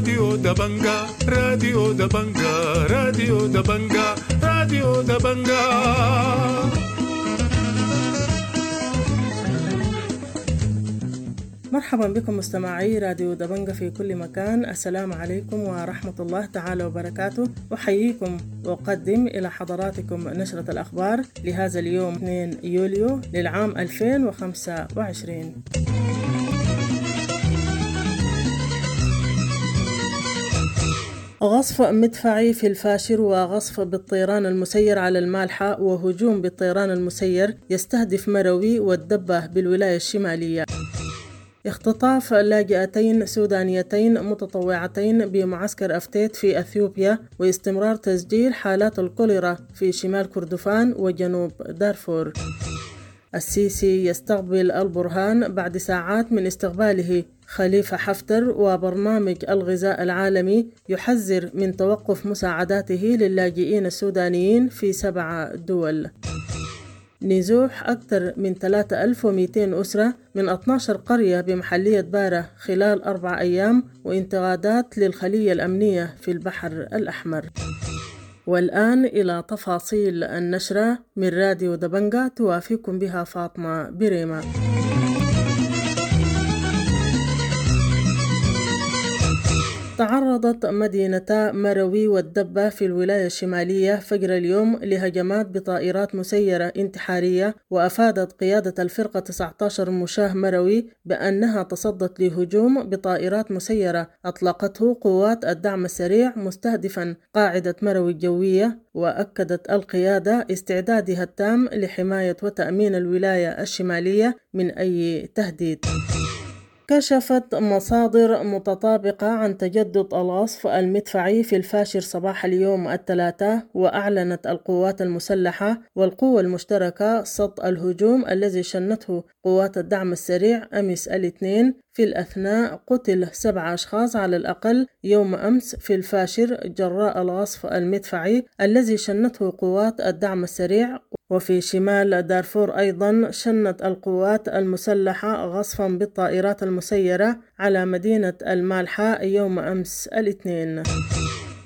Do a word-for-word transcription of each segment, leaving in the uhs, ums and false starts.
راديو دبنجا، راديو دبنجا، راديو دبنجا، راديو دبنجا. مرحبا بكم مستمعي راديو دبنجة في كل مكان. السلام عليكم ورحمة الله تعالى وبركاته. أحييكم وأقدم إلى حضراتكم نشرة الأخبار لهذا اليوم اثنين يوليو للعام ألفين وخمسة وعشرين. غصف مدفعي في الفاشر وغصف بالطيران المسير على المالحة وهجوم بالطيران المسير يستهدف مروي والدبة بالولاية الشمالية. اختطاف لاجئتين سودانيتين متطوعتين بمعسكر أفتيت في أثيوبيا واستمرار تسجيل حالات الكوليرا في شمال كردفان وجنوب دارفور. السيسي يستقبل البرهان بعد ساعات من استقباله خليفة حفتر، وبرنامج الغذاء العالمي يحذر من توقف مساعداته للاجئين السودانيين في سبع دول. نزوح أكثر من ثلاثة آلاف ومئتين أسرة من اثناشر قرية بمحلية بارة خلال أربع أيام، وانتقادات للخلية الأمنية في البحر الأحمر. والآن إلى تفاصيل النشرة من راديو دبنجة توافيكم بها فاطمة بريمة. تعرضت مدينتا مروي والدبة في الولاية الشمالية فجر اليوم لهجمات بطائرات مسيرة انتحارية، وأفادت قيادة الفرقة تسعة عشر مشاه مروي بأنها تصدت لهجوم بطائرات مسيرة أطلقته قوات الدعم السريع مستهدفا قاعدة مروي الجوية. وأكدت القيادة استعدادها التام لحماية وتأمين الولاية الشمالية من أي تهديد. كشفت مصادر متطابقة عن تجدد الغصف المدفعي في الفاشر صباح اليوم الثلاثاء، وأعلنت القوات المسلحة والقوة المشتركة صد الهجوم الذي شنته قوات الدعم السريع أمس الاثنين. في الأثناء قتل سبع أشخاص على الأقل يوم أمس في الفاشر جراء الغصف المدفعي الذي شنته قوات الدعم السريع. وفي شمال دارفور أيضا شنت القوات المسلحة غصفا بالطائرات المسيرة على مدينة المالحة يوم أمس الاثنين.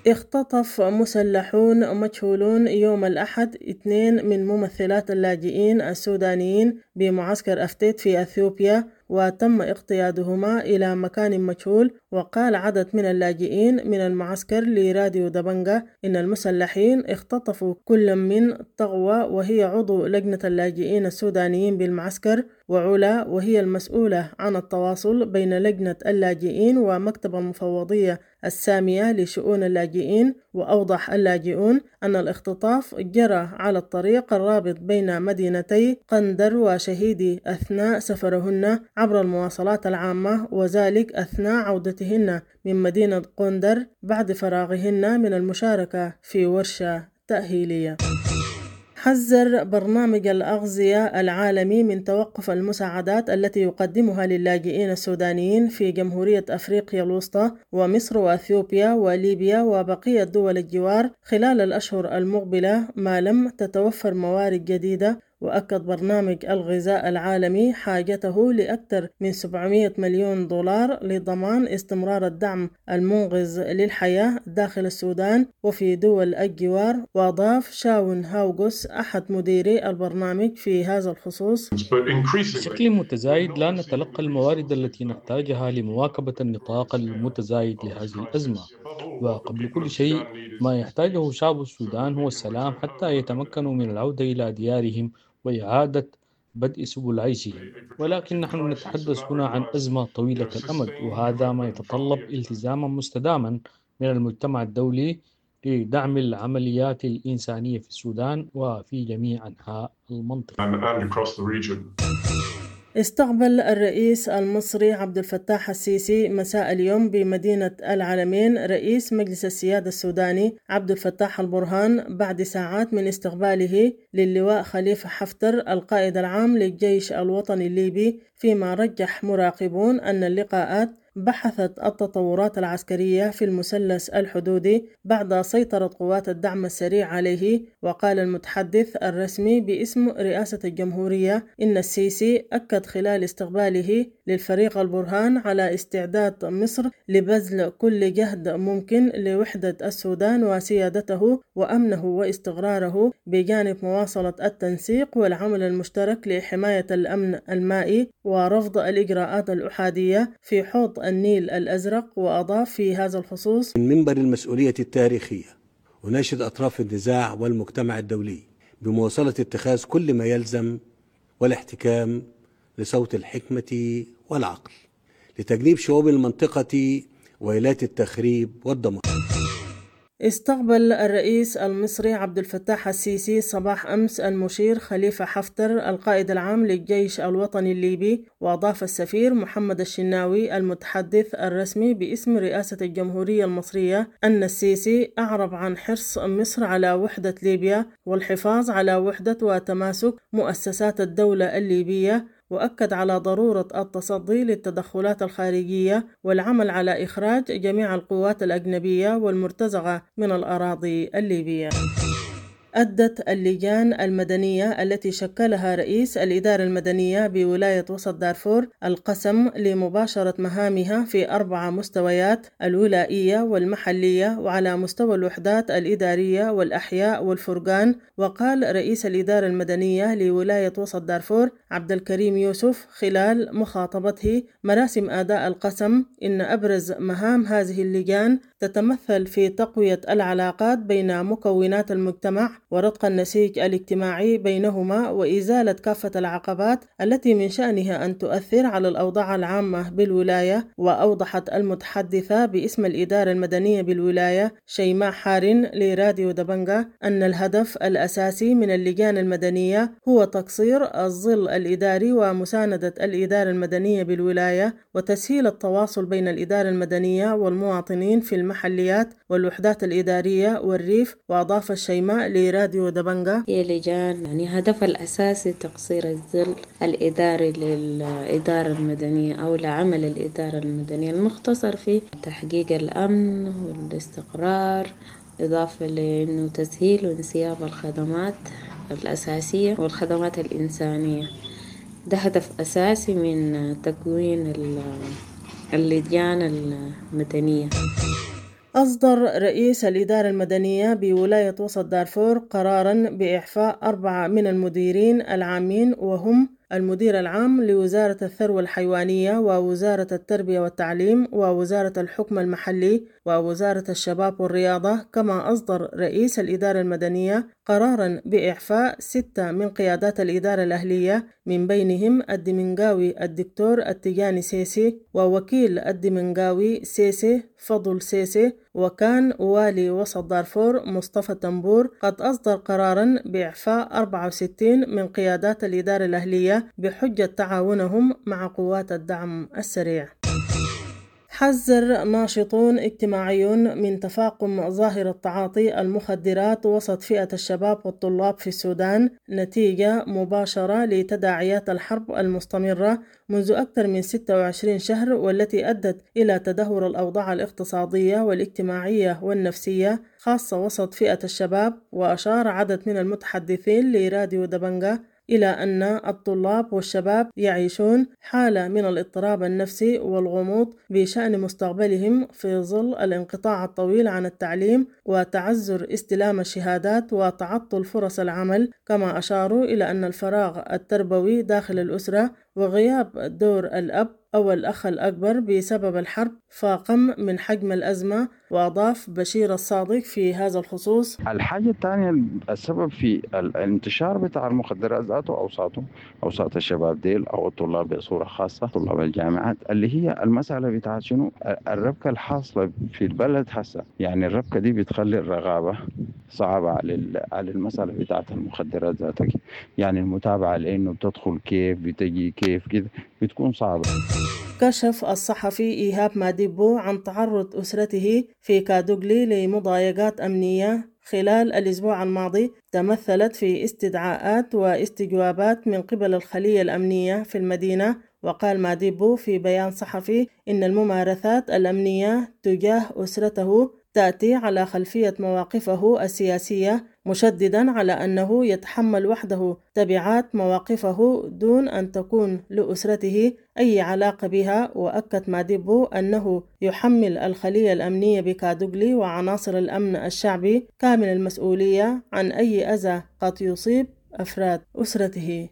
اختطف مسلحون مجهولون يوم الأحد اثنين من ممثلات اللاجئين السودانيين بمعسكر أفتيت في أثيوبيا، وتم اقتيادهما إلى مكان مجهول. وقال عدد من اللاجئين من المعسكر لراديو دبنجة إن المسلحين اختطفوا كل من طغوة وهي عضو لجنة اللاجئين السودانيين بالمعسكر، وعلا وهي المسؤولة عن التواصل بين لجنة اللاجئين ومكتب المفوضية السامية لشؤون اللاجئين. وأوضح اللاجئون أن الاختطاف جرى على الطريق الرابط بين مدينتي قندر وشهيدي أثناء سفرهن عبر المواصلات العامة، وذلك أثناء عودتهن من مدينة قندر بعد فراغهن من المشاركة في ورشة تأهيلية. حذر برنامج الأغذية العالمي من توقف المساعدات التي يقدمها للاجئين السودانيين في جمهورية أفريقيا الوسطى ومصر وأثيوبيا وليبيا وبقية دول الجوار خلال الأشهر المقبلة ما لم تتوفر موارد جديدة. وأكد برنامج الغذاء العالمي حاجته لأكثر من سبعمائة مليون دولار لضمان استمرار الدعم المنقذ للحياة داخل السودان وفي دول الجوار. وأضاف شاون هاوغوس أحد مديري البرنامج في هذا الخصوص: بشكل متزايد لا نتلقى الموارد التي نحتاجها لمواكبة النطاق المتزايد لهذه الأزمة، وقبل كل شيء ما يحتاجه شعب السودان هو السلام حتى يتمكنوا من العودة إلى ديارهم وإعادة بدء سبل عيشهم. ولكن نحن نتحدث هنا عن أزمة طويلة الأمد، وهذا ما يتطلب التزاما مستداما من المجتمع الدولي لدعم العمليات الإنسانية في السودان وفي جميع أنحاء المنطقة. استقبل الرئيس المصري عبد الفتاح السيسي مساء اليوم بمدينة العلمين رئيس مجلس السيادة السوداني عبد الفتاح البرهان بعد ساعات من استقباله للواء خليفة حفتر القائد العام للجيش الوطني الليبي، فيما رجح مراقبون أن اللقاءات بحثت التطورات العسكرية في المثلث الحدودي بعد سيطرة قوات الدعم السريع عليه. وقال المتحدث الرسمي باسم رئاسة الجمهورية إن السيسي أكد خلال استقباله للفريق البرهان على استعداد مصر لبذل كل جهد ممكن لوحدة السودان وسيادته وأمنه واستقراره، بجانب مواصلة التنسيق والعمل المشترك لحماية الأمن المائي ورفض الإجراءات الأحادية في حوض النيل الأزرق. وأضاف في هذا الخصوص: من منبر المسؤولية التاريخية أناشد أطراف النزاع والمجتمع الدولي بمواصلة اتخاذ كل ما يلزم والاحتكام لصوت الحكمة والعقل لتجنيب شعوب المنطقة ويلات التخريب والدمار. استقبل الرئيس المصري عبد الفتاح السيسي صباح أمس المشير خليفة حفتر القائد العام للجيش الوطني الليبي. وأضاف السفير محمد الشناوي المتحدث الرسمي باسم رئاسة الجمهورية المصرية أن السيسي أعرب عن حرص مصر على وحدة ليبيا والحفاظ على وحدة وتماسك مؤسسات الدولة الليبية، وأكد على ضرورة التصدي للتدخلات الخارجية والعمل على إخراج جميع القوات الأجنبية والمرتزقة من الأراضي الليبية. أدت اللجان المدنية التي شكلها رئيس الإدارة المدنية بولاية وسط دارفور القسم لمباشرة مهامها في أربع مستويات: الولائية والمحلية وعلى مستوى الوحدات الإدارية والأحياء والفرقان. وقال رئيس الإدارة المدنية لولاية وسط دارفور عبد الكريم يوسف خلال مخاطبته مراسم أداء القسم إن أبرز مهام هذه اللجان تتمثل في تقوية العلاقات بين مكونات المجتمع ورتق النسيج الاجتماعي بينهما وإزالة كافة العقبات التي من شأنها أن تؤثر على الأوضاع العامة بالولاية. وأوضحت المتحدثة باسم الإدارة المدنية بالولاية شيماء حارن لراديو دبنجة أن الهدف الأساسي من اللجان المدنية هو تقصير الظل الإداري ومساندة الإدارة المدنية بالولاية وتسهيل التواصل بين الإدارة المدنية والمواطنين في المحليات والوحدات الإدارية والريف. وأضاف الشيماء لراديو دبنجة: هي لجان يعني هدفها الأساسي تقصير الظل الإداري للإدارة المدنية أو لعمل الإدارة المدنية المختصر في تحقيق الأمن والاستقرار، إضافة لأنه تسهيل وانسياب الخدمات الأساسية والخدمات الإنسانية. ده هدف أساسي من تكوين اللجان المدنية. أصدر رئيس الإدارة المدنية بولاية وسط دارفور قرارا بإعفاء أربعة من المديرين العامين، وهم المدير العام لوزارة الثروة الحيوانية ووزارة التربية والتعليم ووزارة الحكم المحلي ووزارة الشباب والرياضة. كما أصدر رئيس الإدارة المدنية قرارا بإعفاء ستة من قيادات الإدارة الأهلية، من بينهم الدمنجاوي الدكتور التجاني سيسي ووكيل الدمنجاوي سيسي فضل سيسي. وكان والي وسط دارفور مصطفى تنبور قد أصدر قرارا بإعفاء أربعة وستين من قيادات الإدارة الأهلية بحجة تعاونهم مع قوات الدعم السريع. حذر ناشطون اجتماعيون من تفاقم ظاهرة تعاطي المخدرات وسط فئة الشباب والطلاب في السودان نتيجة مباشرة لتداعيات الحرب المستمرة منذ أكثر من ستة وعشرين شهر، والتي أدت إلى تدهور الأوضاع الاقتصادية والاجتماعية والنفسية خاصة وسط فئة الشباب. وأشار عدد من المتحدثين لراديو دبنجة إلى أن الطلاب والشباب يعيشون حالة من الاضطراب النفسي والغموض بشأن مستقبلهم في ظل الانقطاع الطويل عن التعليم وتعذر استلام الشهادات وتعطل فرص العمل. كما أشاروا إلى أن الفراغ التربوي داخل الأسرة وغياب دور الأب أو الأخ الأكبر بسبب الحرب فاقم من حجم الأزمة. وأضاف بشير الصادق في هذا الخصوص: الحاجة الثانية السبب في الانتشار بتاع المخدرات ذاته أوساطه أوساط الشباب ديل أو الطلاب بصورة خاصة طلاب الجامعات، اللي هي المسألة بتاعت شنو الربكة الحاصلة في البلد هسه. يعني الربكة دي بتخلي الرغابة صعبة على على المسألة بتاعت المخدرات ذاتك، يعني المتابعة لأنه بتدخل كيف بتجي كيف كده بتكون صعبة. كشف الصحفي إيهاب ماديبو عن تعرض أسرته في كادوغلي لمضايقات أمنية خلال الأسبوع الماضي تمثلت في استدعاءات واستجوابات من قبل الخلية الأمنية في المدينة. وقال ماديبو في بيان صحفي إن الممارسات الأمنية تجاه أسرته تأتي على خلفية مواقفه السياسية، مشددا على أنه يتحمل وحده تبعات مواقفه دون أن تكون لأسرته أي علاقة بها. وأكد ماديبو أنه يحمل الخلية الأمنية بكادوغلي وعناصر الأمن الشعبي كامل المسؤولية عن أي أذى قد يصيب أفراد أسرته.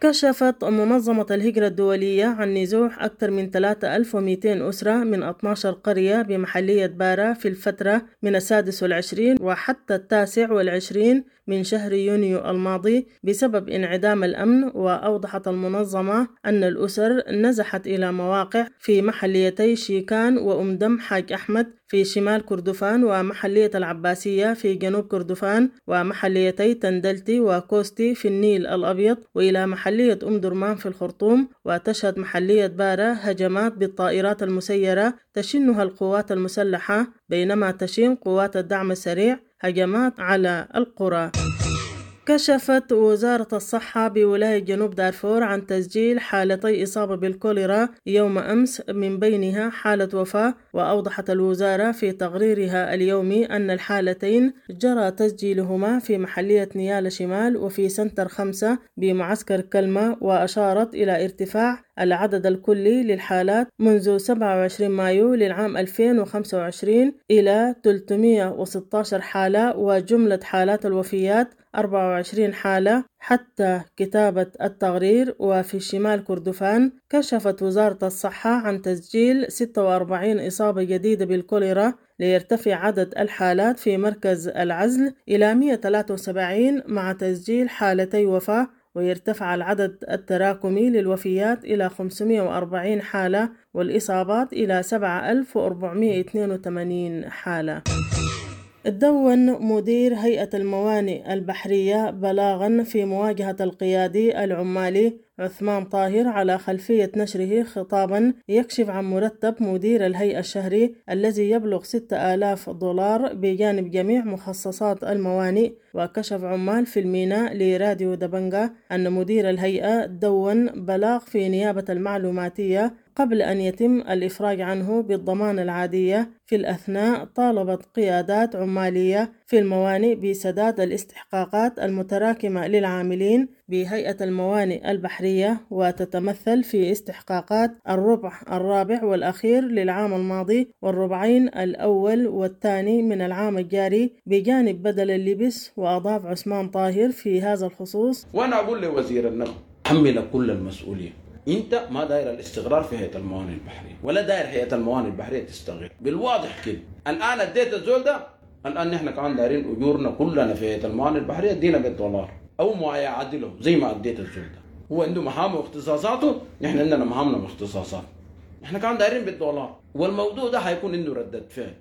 كشفت منظمة الهجرة الدولية عن نزوح أكثر من ثلاثة آلاف ومئتين أسرة من اثني عشر قرية بمحلية بارا في الفترة من السادس والعشرين وحتى التاسع والعشرين من شهر يونيو الماضي بسبب انعدام الأمن. وأوضحت المنظمة أن الأسر نزحت إلى مواقع في محليتي شيكان وأم دم حاج أحمد في شمال كردفان، ومحلية العباسية في جنوب كردفان، ومحليتي تندلتي وكوستي في النيل الأبيض، وإلى محلية أم درمان في الخرطوم. وتشهد محلية بارا هجمات بالطائرات المسيرة تشنها القوات المسلحة، بينما تشن قوات الدعم السريع هجمات على القرى. كشفت وزارة الصحة بولاية جنوب دارفور عن تسجيل حالتي إصابة بالكوليرا يوم أمس، من بينها حالة وفاة. وأوضحت الوزارة في تقريرها اليومي أن الحالتين جرى تسجيلهما في محلية نيالا شمال وفي سنتر خمسة بمعسكر كلمة. وأشارت إلى ارتفاع العدد الكلي للحالات منذ سبعة وعشرين مايو للعام ألفين وخمسة وعشرين إلى ثلاثمئة وستة عشر حالة، وجملة حالات الوفيات أربعة وعشرين حالة حتى كتابة التقرير. وفي شمال كردفان كشفت وزارة الصحة عن تسجيل ستة وأربعين إصابة جديدة بالكوليرا، ليرتفع عدد الحالات في مركز العزل إلى مئة وثلاثة وسبعين مع تسجيل حالتي وفاة، ويرتفع العدد التراكمي للوفيات إلى خمسمئة وأربعين حالة والإصابات إلى سبعة آلاف وأربعمئة واثنين وثمانين حالة. دون مدير هيئة الموانئ البحرية بلاغا في مواجهة القيادي العمالي عثمان طاهر على خلفية نشره خطابا يكشف عن مرتب مدير الهيئة الشهري الذي يبلغ ستة آلاف دولار بجانب جميع مخصصات الموانئ. وكشف عمال في الميناء لراديو دبنجا أن مدير الهيئة دون بلاغ في نيابة المعلوماتية قبل أن يتم الإفراج عنه بالضمان العادية. في الأثناء طالبت قيادات عمالية في الموانئ بسداد الاستحقاقات المتراكمة للعاملين بهيئة الموانئ البحرية، وتتمثل في استحقاقات الربع الرابع والأخير للعام الماضي والربعين الأول والثاني من العام الجاري بجانب بدل اللبس. وأضاف عثمان طاهر في هذا الخصوص: وأنا أقول لوزير النقل حمل كل المسؤولية، انت ما داير الاستقرار في هيئه الموانئ البحريه ولا داير هيئه الموانئ البحريه تستقر بالواضح كده. الان اديت الزول ده، الان نحن كمان دايرين اجورنا كلنا في هيئه الموانئ البحريه ادينا بالدولار او ما يعادله زي ما اديت الزول ده. هو عنده مهامه واختصاصاته، نحن عندنا مهامنا واختصاصات، نحن كمان دايرين بالدولار، والموضوع ده حيكون عنده ردة فعل.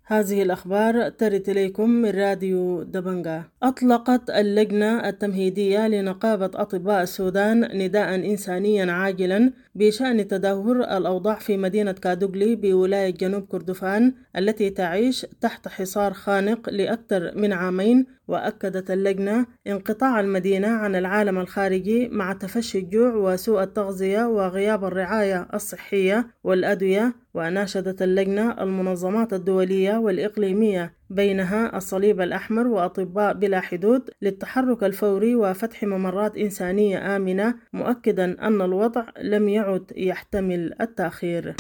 هذه الأخبار ترد إليكم من راديو دبنجا. أطلقت اللجنة التمهيدية لنقابة أطباء السودان نداء إنسانيا عاجلا بشأن تدهور الأوضاع في مدينة كادوغلي بولاية جنوب كردفان التي تعيش تحت حصار خانق لأكثر من عامين. وأكدت اللجنة انقطاع المدينة عن العالم الخارجي مع تفشي الجوع وسوء التغذية وغياب الرعاية الصحية والأدوية. وناشدت اللجنة المنظمات الدولية والإقليمية بينها الصليب الأحمر وأطباء بلا حدود للتحرك الفوري وفتح ممرات إنسانية آمنة، مؤكدا أن الوضع لم يعد يحتمل التأخير.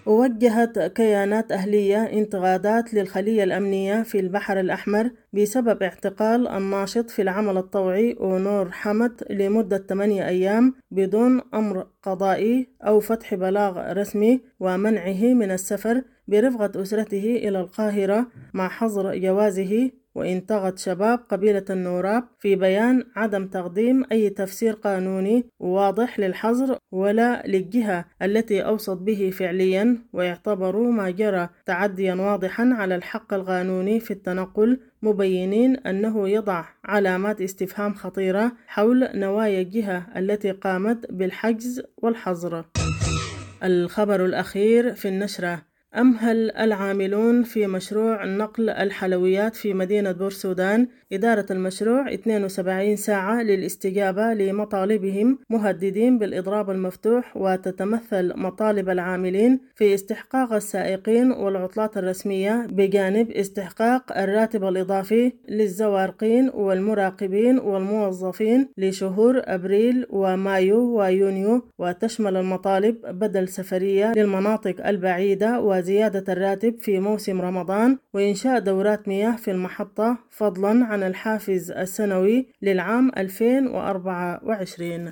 ووجهت كيانات أهلية انتقادات للخلية الأمنية في البحر الأحمر بسبب اعتقال الناشط في العمل الطوعي أونور حمد لمدة ثمانية أيام بدون أمر قضائي أو فتح بلاغ رسمي ومنعه من السفر برفقة أسرته إلى القاهرة مع حظر جوازه. وانتقد شباب قبيلة النوراب في بيان عدم تقديم أي تفسير قانوني واضح للحظر ولا للجهة التي أوصت به فعليا، ويعتبروا ما جرى تعديا واضحا على الحق القانوني في التنقل، مبينين أنه يضع علامات استفهام خطيرة حول نوايا الجهة التي قامت بالحجز والحظر. الخبر الأخير في النشرة: أمهل العاملون في مشروع نقل الحلويات في مدينة بورسودان إدارة المشروع اثنين وسبعين ساعة للاستجابة لمطالبهم، مهددين بالإضراب المفتوح. وتتمثل مطالب العاملين في استحقاق السائقين والعطلات الرسمية، بجانب استحقاق الراتب الإضافي للزوارقين والمراقبين والموظفين لشهور أبريل ومايو ويونيو. وتشمل المطالب بدل سفرية للمناطق البعيدة وزيادة الراتب في موسم رمضان وإنشاء دورات مياه في المحطة، فضلا عن الحافز السنوي للعام ألفين وأربعة وعشرين.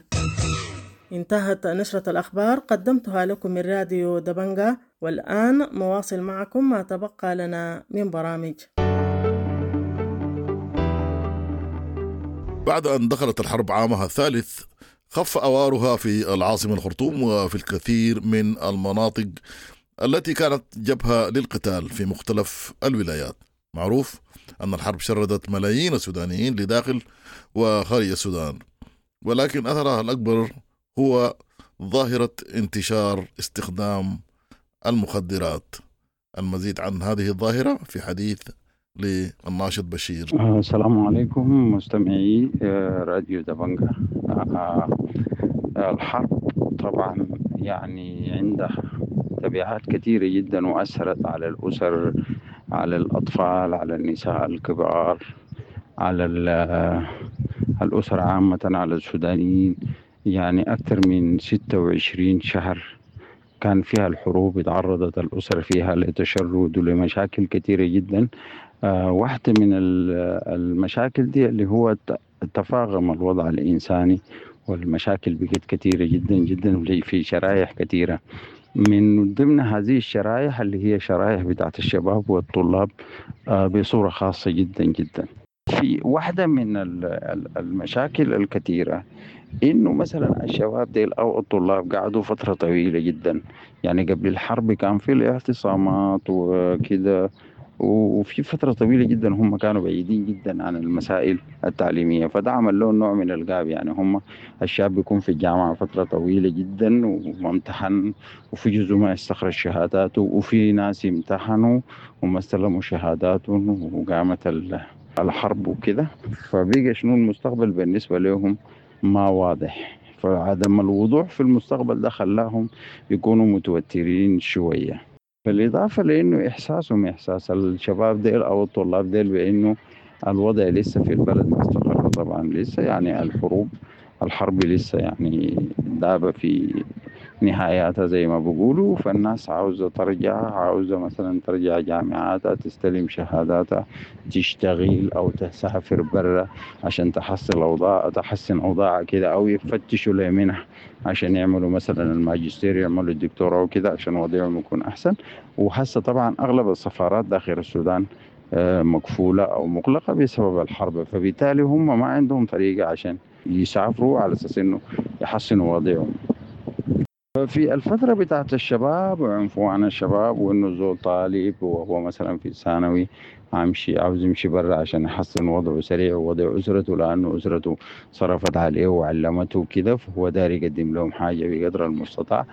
انتهت نشرة الأخبار، قدمتها لكم من راديو دبنجا، والآن نواصل معكم ما تبقى لنا من برامج. بعد أن دخلت الحرب عامها الثالث، خف أوارها في العاصمة الخرطوم وفي الكثير من المناطق التي كانت جبهة للقتال في مختلف الولايات. معروف أن الحرب شردت ملايين السودانيين لداخل وخارج السودان، ولكن أثرها الأكبر هو ظاهرة انتشار استخدام المخدرات. المزيد عن هذه الظاهرة في حديث للناشط بشير. السلام عليكم مستمعي راديو دبنجا. الحرب طبعا يعني عندها تبعات كثيرة جدا، وأثرت على الأسر، على الأطفال، على النساء الكبار، على الأسر عامة، على السودانيين. يعني أكثر من ستة وعشرين شهر كان فيها الحروب، تعرضت الأسر فيها لتشرد ولمشاكل كثيرة جدا. آه واحدة من المشاكل دي اللي هو تفاقم الوضع الإنساني، والمشاكل بقت كثيرة جدا جدا في شرائح كثيرة. من ضمن هذه الشرائح اللي هي شرائح بتاعت الشباب والطلاب آه بصورة خاصة جدا جدا. في واحدة من المشاكل الكثيرة إنه مثلا الشباب ديل أو الطلاب قعدوا فترة طويلة جدا، يعني قبل الحرب كان في الاعتصامات وكده، وفي فترة طويلة جدا هم كانوا بعيدين جدا عن المسائل التعليمية، فده عمل لهم نوع من الغاب. يعني هم الشاب بيكون في الجامعة فترة طويلة جدا وما امتحن، وفي جزء ما استخرج شهاداته، وفي ناس امتحنوا وما استلموا شهاداتهم وقامت الحرب وكده، فبقى شنو المستقبل بالنسبة لهم ما واضح. فعدم الوضوح في المستقبل ده خلاهم يكونوا متوترين شوية. بالإضافة لأنه إحساسهم إحساس الشباب ديل أو الطلاب ديل بأنه الوضع لسه في البلد ما استقر، طبعا لسه يعني الحروب الحرب لسه يعني دابة في نهاياتها زي ما بيقولوا، فالناس عاوزة ترجع، عاوزة مثلا ترجع جامعاتها، تستلم شهاداتها، تشتغل أو تسافر برا عشان تحصل أوضاع، تحسن أوضاعها كده، أو يفتشوا لمنح عشان يعملوا مثلا الماجستير، يعملوا الدكتوراه وكده عشان وضعهم يكون أحسن. وهسه طبعا أغلب السفارات داخل السودان مقفولة أو مغلقة بسبب الحرب، فبالتالي هم ما عندهم طريقة عشان يسافروا على أساس إنه يحسنوا وضعهم. في الفترة بتاعت الشباب وعنفوان الشباب، وإنه زول طالب وهو مثلا في الثانوي عمشي عاوز يمشي برا عشان يحسن وضعه سريع ووضع أسرته، لأنه أسرته صرفت عليه وعلمته كده، فهو داري يقدم لهم حاجة بقدر المستطاع.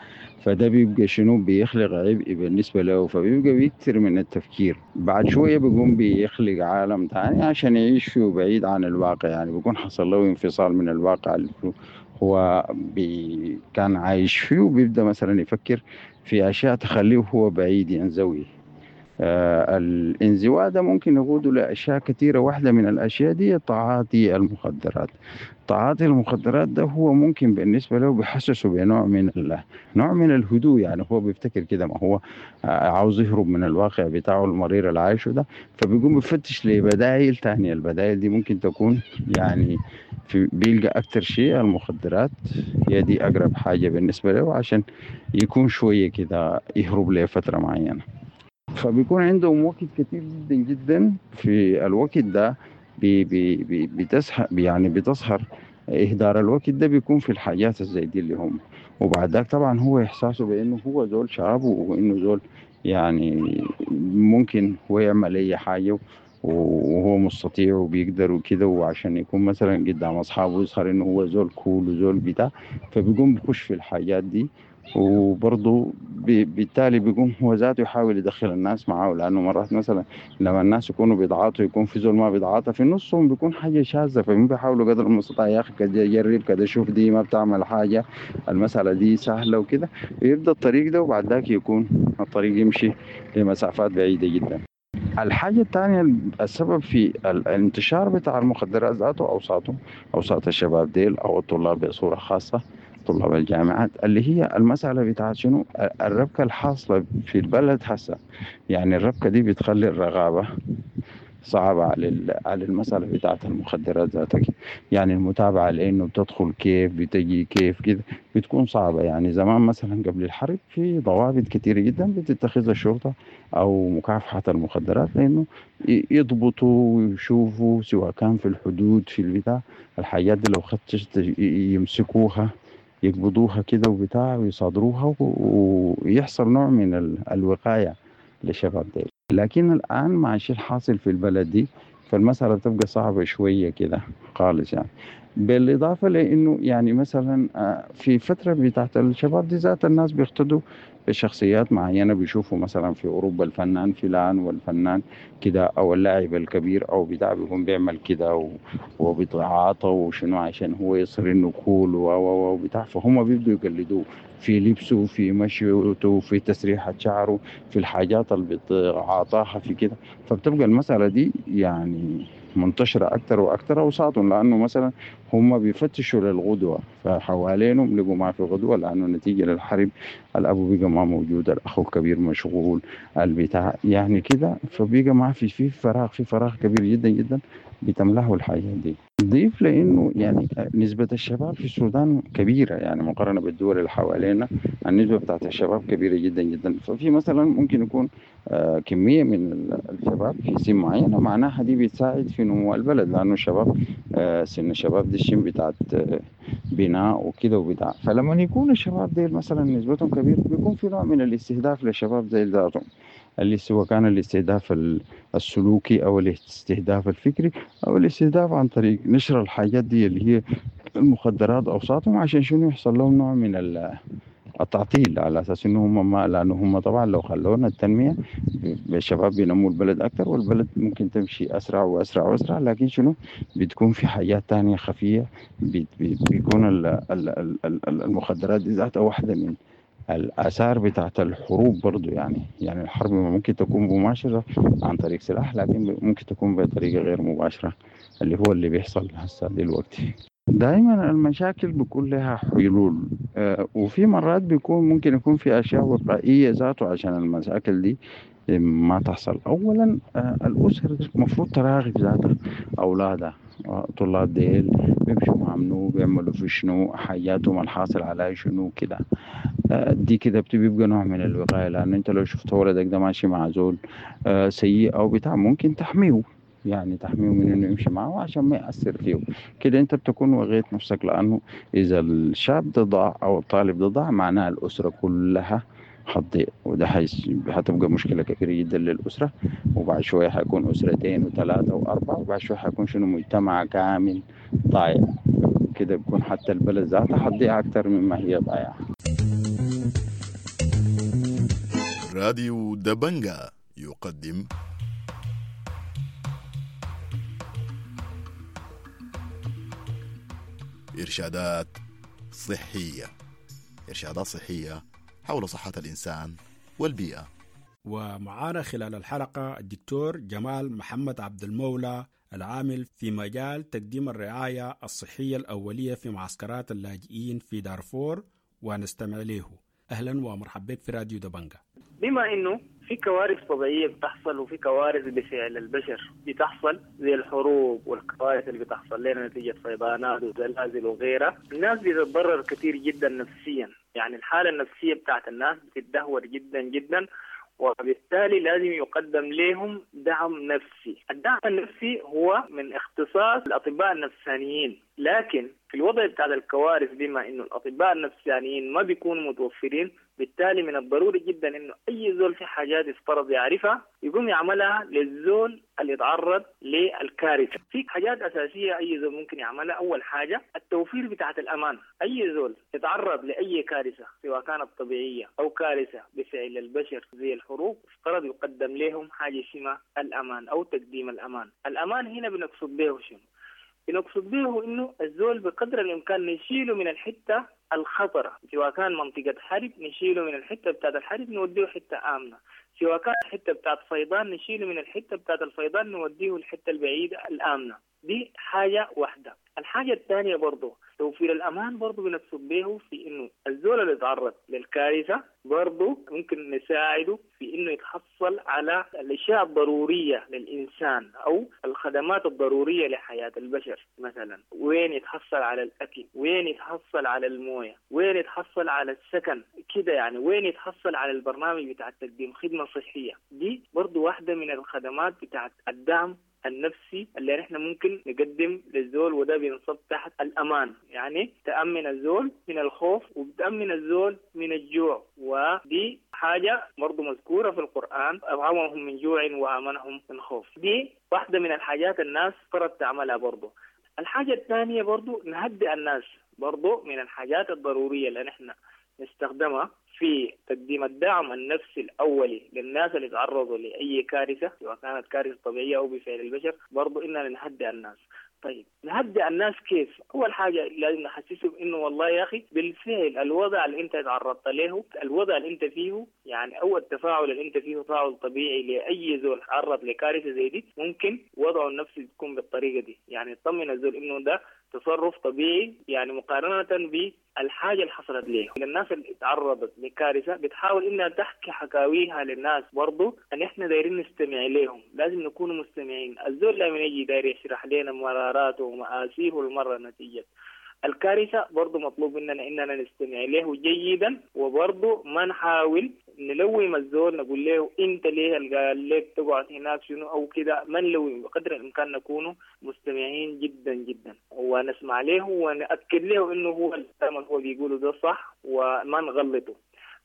فده بيبقى شنو بيخلق عبء بالنسبة له، فبيبقى بيكثر من التفكير. بعد شوية بيقوم بيخلق عالم تاني عشان يعيش فيه بعيد عن الواقع، يعني بيكون حصل له انفصال من الواقع اللي هو بي كان عايش فيه، وبيبدأ مثلا يفكر في أشياء تخليه هو بعيد ينزوي. آه الانزواء ده ممكن يقوده لأشياء كثيرة. واحدة من الأشياء دي تعاطي المخدرات. تعاطي المخدرات ده هو ممكن بالنسبة له بيحسسه بنوع من ال... نوع من الهدوء، يعني هو بيفتكر كده ما هو عاوز يهرب من الواقع بتاعه المرير اللي عايشه ده، فبيقوم بيفتش لبدائل تانية. البدائل دي ممكن تكون يعني في بيلقى أكتر شيء المخدرات هي دي أقرب حاجة بالنسبة له عشان يكون شوية كده يهرب لفترة معينة. فبيكون عندهم وقت كتير جدا جدا. في الوقت ده بي بي بي بتسهر، يعني بتظهر إهدار الوقت ده بيكون في الحاجات زي دي اللي هم. وبعد ذاك طبعا هو إحساسه بأنه هو زول شاب وإنه زول يعني ممكن هو يعمل أي حاجة وهو مستطيع وبيقدر وكده، وعشان يكون مثلا قدام اصحابه يظهر انه هو زول cool وزول بتاع، فبيقوم بخش في الحاجات دي. وبرضه بالتالي بيقوم هو ذاته يحاول يدخل الناس معاه، لانه مرات مثلا لما الناس يكونوا بيتعاطوا يكون في زول ما بيتعاطى في نصهم بيكون حاجه شاذه، فهم بيحاولوا قدر المستطاع يا اخي كده جرب كده شوف دي ما بتعمل حاجه، المساله دي سهله وكده، ويبدا الطريق ده، وبعد ذاك يكون الطريق يمشي لمسافات بعيده جدا. الحاجة الثانية السبب في الانتشار بتاع المخدرات ذاته أوساطهم أوساط الشباب ديل أو الطلاب بصورة خاصة طلاب الجامعات، اللي هي المسألة بتاعت شنو الربكة الحاصلة في البلد هسه. يعني الربكة دي بتخلي الرغابة صعبة على على المسألة بتاعت المخدرات ذاتك، يعني المتابعة لأنه بتدخل كيف بتجي كيف كده بتكون صعبة. يعني زمان مثلا قبل الحرب في ضوابط كتيرة جدا بتتخذها الشرطة أو مكافحة المخدرات لأنه يضبطوا ويشوفوا سواء كان في الحدود في البتاع الحاجات دي لو خدت يمسكوها يقبضوها كده وبتاع ويصادروها ويحصل نوع من الوقاية للشباب ديل. لكن الآن مع الشيء الحاصل في البلد دي فالمسألة بتبقى صعبة شوية كده خالص يعني. بالإضافة لأنه يعني مثلا في فترة بتاعت الشباب دي ذات الناس بيقتدوا بشخصيات معينة، بيشوفوا مثلا في أوروبا الفنان فلان والفنان كده أو اللاعب الكبير أو بتاع بيكون بيعمل كده وبيتعاطى وشنو عشان هو يصير إنه كول و وبتاع، فهم بيبدوا يقلدوه في لبسه في مشيته في تسريحة شعره في الحاجات اللي بيتعاطاها في كده، فبتبقى المسألة دي يعني منتشرة أكتر وأكتر أوساطهم، لأنه مثلا هم بيفتشوا للغدوة فحوالينهم لقوا ما في غدوة، لأنه نتيجة للحرب الأبو بقى ما موجود، الأخ الكبير مشغول البتاع يعني كده، فبقى ما في في فراغ في فراغ كبير جدا جدا بتملاه الحاجات دي. ضيف لأنه يعني نسبة الشباب في السودان كبيرة، يعني مقارنة بالدول اللي حوالينا النسبة بتاعت الشباب كبيرة جدا جدا، ففي مثلا ممكن يكون كمية من الشباب في سن معينة معناها دي بتساعد في نمو البلد، لأنه الشباب سن الشباب دي الشن بتاعت بناء وكده وبتاع، فلما يكون الشباب دي مثلا نسبتهم كبيرة بيكون في نوع من الاستهداف للشباب زي ذاتهم، اللي سواء كان الاستهداف السلوكي أو الاستهداف الفكري أو الاستهداف عن طريق نشر الحاجات دي اللي هي المخدرات أوساطهم، عشان شنو يحصل لهم نوع من التعطيل على أساس إنه هم ما، لأنه هم طبعا لو خلونا التنمية الشباب بينموا البلد أكتر والبلد ممكن تمشي أسرع وأسرع وأسرع، لكن شنو بتكون في حاجات تانية خفية بيكون المخدرات دي ذاتها واحدة من الآثار بتاعت الحروب برضو. يعني يعني الحرب ممكن تكون مباشرة عن طريق سلاح، لكن ممكن تكون بطريقة غير مباشرة اللي هو اللي بيحصل هسه دلوقتي. دائما المشاكل بيكون لها حلول، آه وفي مرات بيكون ممكن يكون في أشياء وقائية ذاته عشان المشاكل دي ما تحصل. أولا آه الأسر المفروض تراقب ذاتها أولادها، طلاب ديل بيمشوا مع منو، بيعملوا في شنو، حياتهم الحاصل على شنو كده، دي كده بتبقى نوع من الوقاية. لأن أنت لو شفت ولدك ده ماشي مع زول سيء أو بتاع ممكن تحميه، يعني تحميه من إنه يمشي معه عشان ما يأثر فيه كده، أنت بتكون وغيت نفسك. لأنه إذا الشاب ده ضاع أو الطالب ده ضاع معناها الأسرة كلها حتضيع، وده حتبقى مشكلة كبيرة جدا للأسرة، وبعد شوية حيكون أسرتين وثلاثة وأربعة، وبعد شوية حيكون شنو مجتمع كامل ضايع كده، بيكون حتى البلد ذاتها حتضيع أكتر مما هي ضايعة. راديو دبنجا يقدم إرشادات صحية، إرشادات صحية حول صحة الإنسان والبيئة. ومعانا خلال الحلقة الدكتور جمال محمد عبد المولى العامل في مجال تقديم الرعاية الصحية الأولية في معسكرات اللاجئين في دارفور، ونستمع له. أهلا ومرحبا بك في راديو دبنجا. بما إنه في كوارث طبيعية بتحصل وفي كوارث بفعل البشر بتحصل زي الحروب والكوارث اللي بتحصل لنا نتيجة فيضانات وزلازل وغيرها، الناس بتتضرر كثير جدا نفسيا، يعني الحالة النفسية بتاعت الناس بتتدهور جدا جدا، وبالتالي لازم يقدم لهم دعم نفسي. الدعم النفسي هو من اختصاص الأطباء النفسانيين. لكن في الوضع بتاع الكوارث بما إنه الأطباء النفسانيين ما بيكونوا متوفرين، بالتالي من الضروري جدا إنه أي زول في حاجات يفترض يعرفها يقوم يعملها للزول اللي يتعرض للكارثة. في حاجات أساسية أي زول ممكن يعملها. أول حاجة التوفير بتاعت الأمان. أي زول يتعرض لأي كارثة سواء كانت طبيعية أو كارثة بفعل البشر زي الحروب، افترض يقدم لهم حاجة اسمها الأمان أو تقديم الأمان. الأمان هنا بنقصد به شنو؟ بنقصد به إنه الزول بقدر الإمكان نشيله من الحتة الخطرة، سواء كان منطقة حرب نشيله من الحتة بتاعت الحرب نوديه حتة آمنة، سواء كان حتة بتاعت فيضان نشيله من الحتة بتاعت الفيضان نوديه الحتة البعيدة الآمنة. دي حاجة واحدة. الحاجة الثانية برضو توفير الأمان برضو بنقصد به في إنه الزول اللي يتعرض للكارثة برضو ممكن نساعده في إنه يتحصل على الأشياء الضرورية للإنسان أو الخدمات الضرورية لحياة البشر. مثلا وين يتحصل على الأكل، وين يتحصل على الموية، وين يتحصل على السكن كده يعني، وين يتحصل على البرنامج بتاع تقديم خدمة صحية. دي برضو واحدة من الخدمات بتاعت الدعم النفسي اللي نحن ممكن نقدم للزول، وده بينصب تحت الأمان. يعني تأمن الزول من الخوف وبتأمن الزول من الجوع، ودي حاجة برضو مذكورة في القرآن، أطعمهم من جوع وآمنهم من خوف. دي واحدة من الحاجات الناس فرض تعملها برضو. الحاجة الثانية برضو نهدئ الناس، برضو من الحاجات الضرورية اللي نحن نستخدمها في تقديم الدعم النفسي الأولي للناس اللي تعرضوا لأي كارثة سواء كانت كارثة طبيعية أو بفعل البشر، برضو إننا نهدئ الناس. طيب نهدئ الناس كيف؟ أول حاجة لازم نحسسهم إنه والله يا أخي بالفعل الوضع اللي أنت تعرضت له، الوضع اللي أنت فيه يعني، أو التفاعل اللي أنت فيه تفاعل طبيعي لأي زول تعرض لكارثة زي دي، ممكن وضعه النفسي تكون بالطريقة دي. يعني تطمن الزول إنه ده تصرف طبيعي، يعني مقارنة بالحاجة اللي حصلت ليه. الناس اللي تعرضت لكارثة بتحاول إنها تحكي حكاويها للناس، برضو أن إحنا دايرين نستمع لهم، لازم نكون مستمعين. الزول لما يجي داير يشرح لنا مراراته ومآسيه المرة نتيجة الكارثة، برضو مطلوب مننا إننا نستمع له جيدا، وبرضو ما نحاول نلوم الزول نقول له أنت ليه قال لك تقعد هناك شنو أو كده، ما نلوم، بقدر الإمكان نكون مستمعين جدا جدا ونسمع له ونأكد له إنه هو الكلام اللي هو بيقوله ده صح وما نغلطه.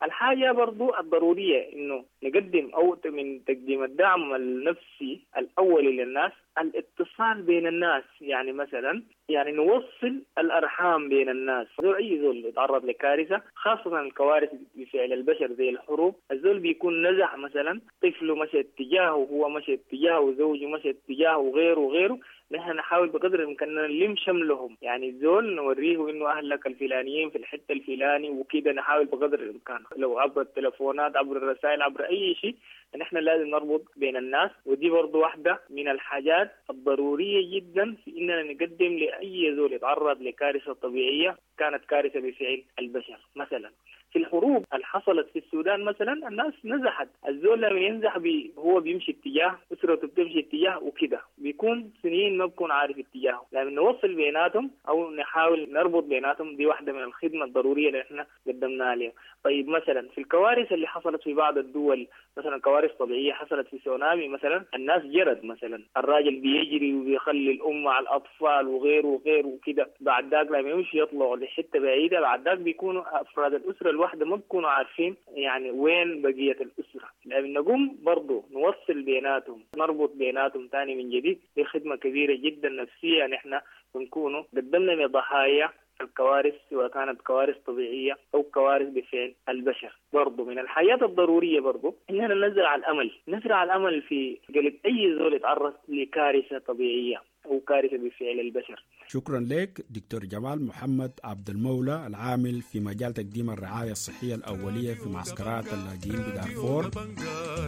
الحاجة برضو الضرورية إنه نقدم أو من تقديم الدعم النفسي الأولي للناس الاتصال بين الناس. يعني مثلا يعني نوصل الأرحام بين الناس. زول أي زول يتعرض لكارثة، خاصة الكوارث بفعل البشر زي الحروب، الزول بيكون نزح مثلا طفله مشى اتجاهه، وهو مشى اتجاهه، وزوجه مشى اتجاهه، وغيره وغيره. نحن نحاول بقدر الإمكان نلم شملهم، يعني الزول نوريه إنه أهلك الفلانيين في الحتة الفلاني وكده. نحاول بقدر الإمكان لو عبر التلفونات، عبر الرسائل، عبر أي شيء، نحن لازم نربط بين الناس. ودي برضو واحدة من الحاجات الضرورية جدا في إننا نقدم لأي زول يتعرض لكارثة طبيعية كانت كارثة بفعل البشر. مثلا في الحروب اللي حصلت في السودان مثلا الناس نزحت، الزول لما ينزح بي هو بيمشي اتجاه، أسرته بتمشي اتجاه وكده، بيكون سنين ما بكون عارف اتجاهه. لما نوصل بيناتهم أو نحاول نربط بيناتهم، دي واحدة من الخدمة الضرورية اللي احنا قدمناها لهم. طيب مثلا في الكوارث اللي حصلت في بعض الدول، مثلا كوارث طبيعية حصلت في سونامي مثلا، الناس جرت مثلا، الراجل بيجري وبيخلي الأم مع الأطفال وغيره وغيره وكده، بعد ذاك لما يمشي يطلعوا لحتة بعيدة، بعد ذاك بيكونوا أفراد الأسرة الواحدة ما بيكونوا عارفين يعني وين بقية الأسرة. لما نقوم برضو نوصل بيناتهم، نربط بيناتهم تاني من جديد، دي خدمة كبيرة جدا نفسية نحن بنكونوا قدمنا لضحايا الكوارث، سواء كانت كوارث طبيعية أو كوارث بفعل البشر. برضو من الحياة الضرورية برضو إننا نزرع الأمل، نزرع الأمل في قلب أي زول يتعرض لكارثة طبيعية أو كارثة بفعل البشر. شكرا لك دكتور جمال محمد عبد المولى، العامل في مجال تقديم الرعاية الصحية الأولية في معسكرات اللاجئين بدارفور.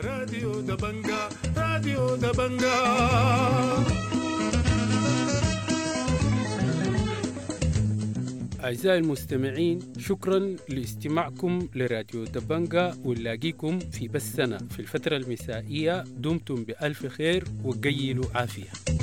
راديو دبنجا، راديو دبنجا. أعزائي المستمعين، شكرا لاستماعكم لراديو دبنجا، ونلاقيكم في بثنا في الفترة المسائية. دمتم بألف خير وقيلوا عافية.